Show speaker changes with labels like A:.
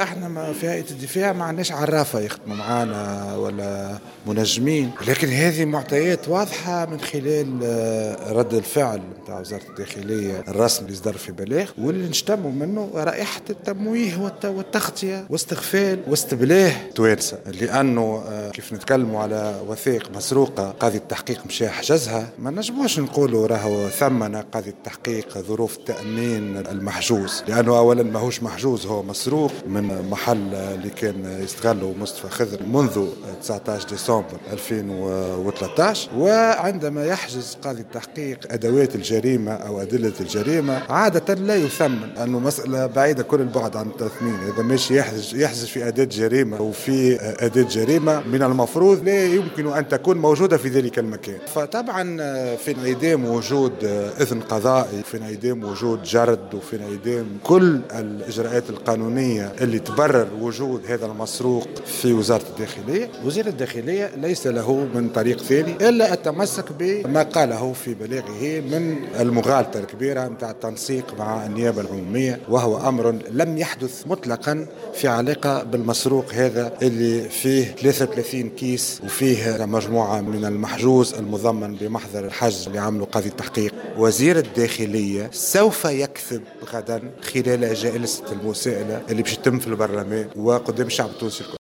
A: احنا ما في هيئة الدفاع ما عندناش عرافة يخدموا معانا ولا منجمين، لكن هذه معطيات واضحة من خلال رد الفعل نتاع وزارة الداخلية الرسمي اللي صدر في بلاغ، واللي نشتموا منه رائحة التمويه والتغطية واستغفال واستبلاه توانسة، لأنه كيف نتكلموا على وثائق مسروقة قاضي التحقيق مشى حجزها، ما نجموش نقولوا راهو ثمن قاضي التحقيق ظروف تأمين المحجوز، لأنه أولا ماهوش محجوز، هو مسروق من محل اللي كان يستغله مصطفى خضر منذ 19 ديسمبر 2013. وعندما يحجز قاضي التحقيق أدوات الجريمة أو أدلة الجريمة عادة لا يثمن، أنه مسألة بعيدة كل البعد عن التثمين. إذا ماشي يحجز في أداة جريمة وفي أداة جريمة من المفروض لا يمكن أن تكون موجودة في ذلك المكان. فطبعا في انعدام وجود إذن قضائي، في انعدام وجود جرد، وفي انعدام كل الإجراءات القانونية اللي تبرر وجود هذا المسروق في وزارة الداخلية، وزير الداخلية ليس له من طريق ثاني إلا التمسك بما قاله في بلاغه من المغالطة الكبيرة نتاع التنسيق مع النيابة العمومية، وهو أمر لم يحدث مطلقا في علاقة بالمسروق هذا اللي فيه 33 كيس وفيه مجموعة من المحجوز المضمن بمحضر الحجز اللي عمله قاضي التحقيق. وزير الداخلية سوف يكذب غدا خلال جلسة المساءلة اللي باش تتم في البرلمان وقدام الشعب التونسي الكل.